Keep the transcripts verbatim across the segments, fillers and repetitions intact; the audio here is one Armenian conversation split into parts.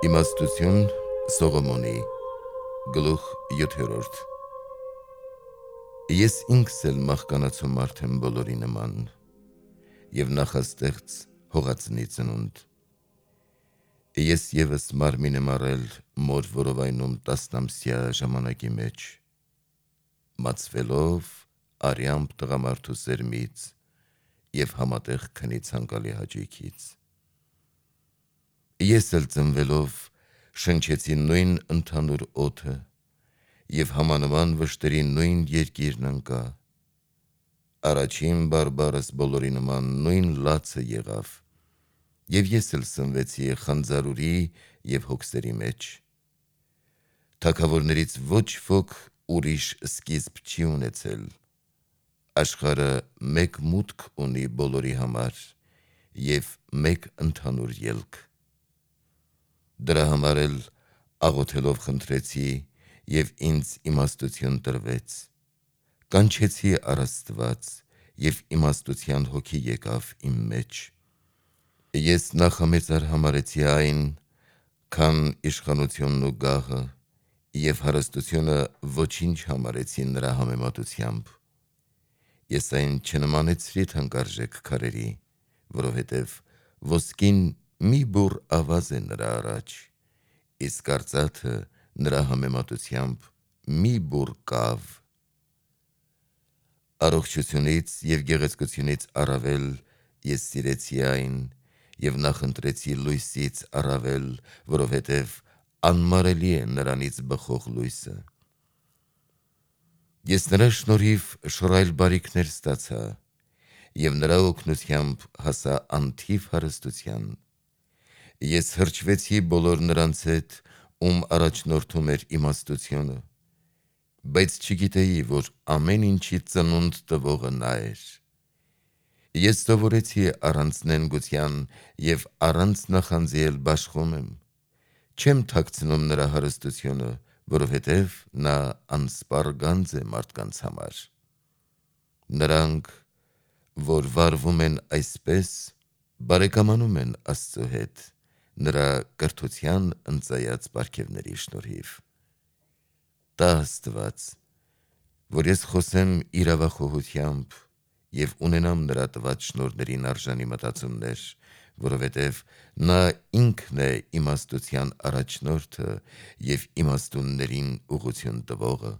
Իմաստություն Սողոմոնի գլուխ յոթերորդ Ես ինքս էլ մահկանացու մարդ եմ բոլորի նման և նախաստեղծ հողածնի ծնունդ։ Ես ևս մարմին եմ առել մոր որովայնում տասնամսյա ժամանակի մեջ, մացվելով արյամբ տղամարդու սերմից և համատեղ քնի ցանկալի հաճույքից։ Ես էլ ծնվելով շնչեցի նույն ընդհանուր օդը և համանման վշտերի նույն երկիրն ընկա։ Առաջին բարբառս բոլորի նման նույն լացը եղավ, և ես էլ սնվեցի խանձարուրի և հոգսերի մեջ։ Թագավորներից ոչ ոք ուրիշ սկիզբ չի ունեցել, աշխարհը մեկ մուտք ունի բոլորի համար և մեկ ընդհանուր ելք։ Դրա համար էլ աղոթելով խնդրեցի և ինձ իմաստություն տրվեց, կանչեցի առ Աստված և իմաստության հոգի եկավ իմ մեջ։ Ես նախամեծար համարեցի այն, քան իշխանությունն ու գահը, և հարստությունը ոչինչ համարեցի նրա համեմատությամբ։ Ես այն չնմանեցրի թանկարժեք քարերի, որովհետև ոսկին մի բուռ ավազ է նրա առաջ, իսկ արծաթը նրա համեմատությամբ մի բուռ կավ։ Առողջությունից և գեղեցկությունից առավել ես սիրեցի այն և նախընտրեցի լույսից առավել, որովհետև անմարելի է նրանից բխող լույսը։ Ես նրա շնորհիվ շռայլ բարիքներ ստացա և նրա օգնությամբ հասա անթիվ հարստության։ Ես հրճվեցի բոլոր նրանց հետ, ում առաջնորդում էր իմաստությունը, բայց չգիտեի, որ ամեն ինչի ծնունդ տվողը նա էր։ Ես սովորեցի առանց նենգության և առանց նախանձի էլ բաշխում եմ, չեմ թաքցնում նրա հարստությունը, որովհետև նա անսպառ գանձ է մարդկանց համար։ Նրանք, որ վարվում են այսպես, բարեկամանում են Աստծու հետ, նրա կրթության ընծայած պարգևների շնորհիվ։ Տա Աստված, որ ես խոսեմ իրավախոհությամբ և ունենամ նրա տված շնորհներին արժանի մտածումներ, որովհետև նա ինքն է իմաստության առաջնորդը և իմաստուններին ուղղություն տվողը,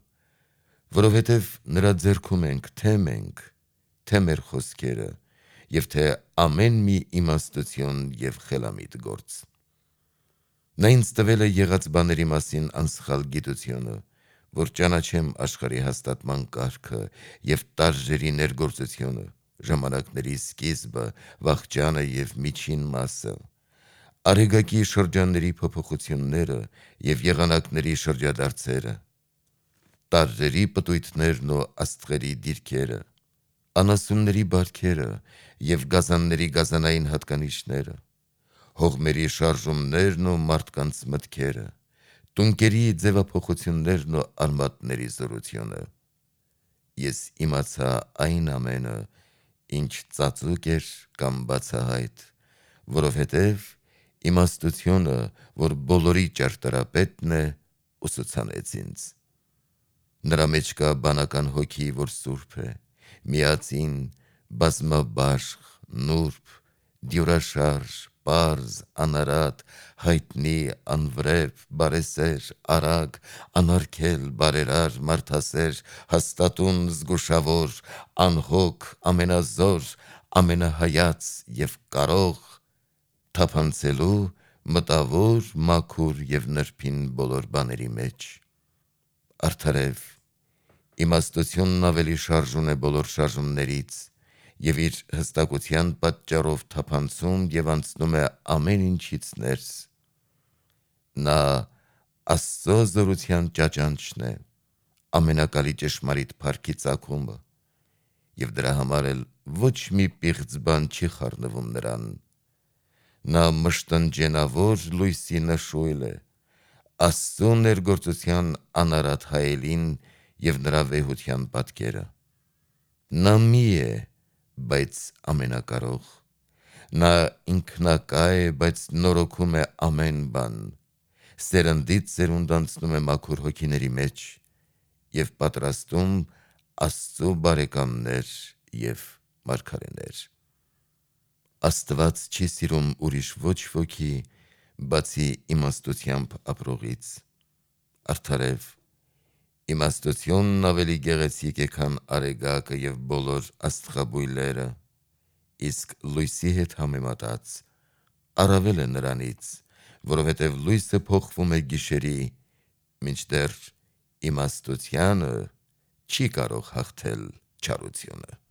որովհետև նրա ձեռքում ենք թե մենք, թե մեր խոսքերը և թե ամեն մի իմաստություն և խելամիտ գործ։ Նա ինձ տվել է եղած բաների մասին անսխալ գիտությունը, որ ճանաչեմ աշխարհի հաստատման կարգը և տարժերի ներգործությունը, ժամանակների սկիզբը, վախճանը և միջին մասը, արեգակի շրջանների փոփոխությունները և եղանակների շրջադարձերը, տարրերի պտույտներն ու աստղերի դիրքերը, անասունների բարքերը և գազանների գազանային հատկանիշները, հողմերի շարժումներն ու մարդկանց մտքերը, տունկերի ձևափոխություններն ու արմատների զորությունը։ Ես իմացա այն ամենը, ինչ ծածուկ էր կամ բացահայտ, որովհետև իմաստությունը, որ բոլորի ճարտարապետն է, ուսուցանեց ինձ։ Նրա մեջ կա բանական հոգի, որ սուրբ է, միածին, բազմաբաշխ, նուրբ, դյուրաշարժ, պարզ, անարատ, հայտնի, անվրեպ, բարեսեր, արագ, անարգել, բարերար, մարդասեր, հաստատուն, զգուշավոր, անհոգ, ամենազոր, ամենահայած և կարող, թափանցելու, մտավոր, մաքուր և նրբին բոլոր բաների մեջ։ Արդարև, իմաստությունն ավելի շարժուն է բոլոր շարժումներից և իր հստակության պատճառով թափանցում և անցնում է ամեն ինչից ներս։ Նա Աստծո զորության ճաճանչն է, ամենակալի ճշմարիտ փառքի ծագումը, և դրա համար էլ ոչ մի պիղծ բան չի խառնվում նրան։ Նա մշտնջենավոր լույսի նշույլ է, Աստծու ներգործության անարատ հայելին և նրա վեհության պատկերը։ Նա մի է, բայց ամենակարող, նա ինքնակա է, բայց նորոգում է ամեն բան, սերնդից սերունդ անցնում է մաքուր հոգիների մեջ և պատրաստում Աստծո բարեկամներ և մարգարեներ։ Աստված չի սիրում ուրիշ ոչ ոքի, բացի իմաստությամբ ապրողից։ Արդարև, իմաստությունն ավելի գեղեցիկ է, քան արեգակը և բոլոր աստղաբույլերը, իսկ լույսի հետ համեմատած առավել է նրանից, որովհետև լույսը փոխվում է գիշերի, մինչդեռ իմաստությանը չի կարող հաղթել չարությունը։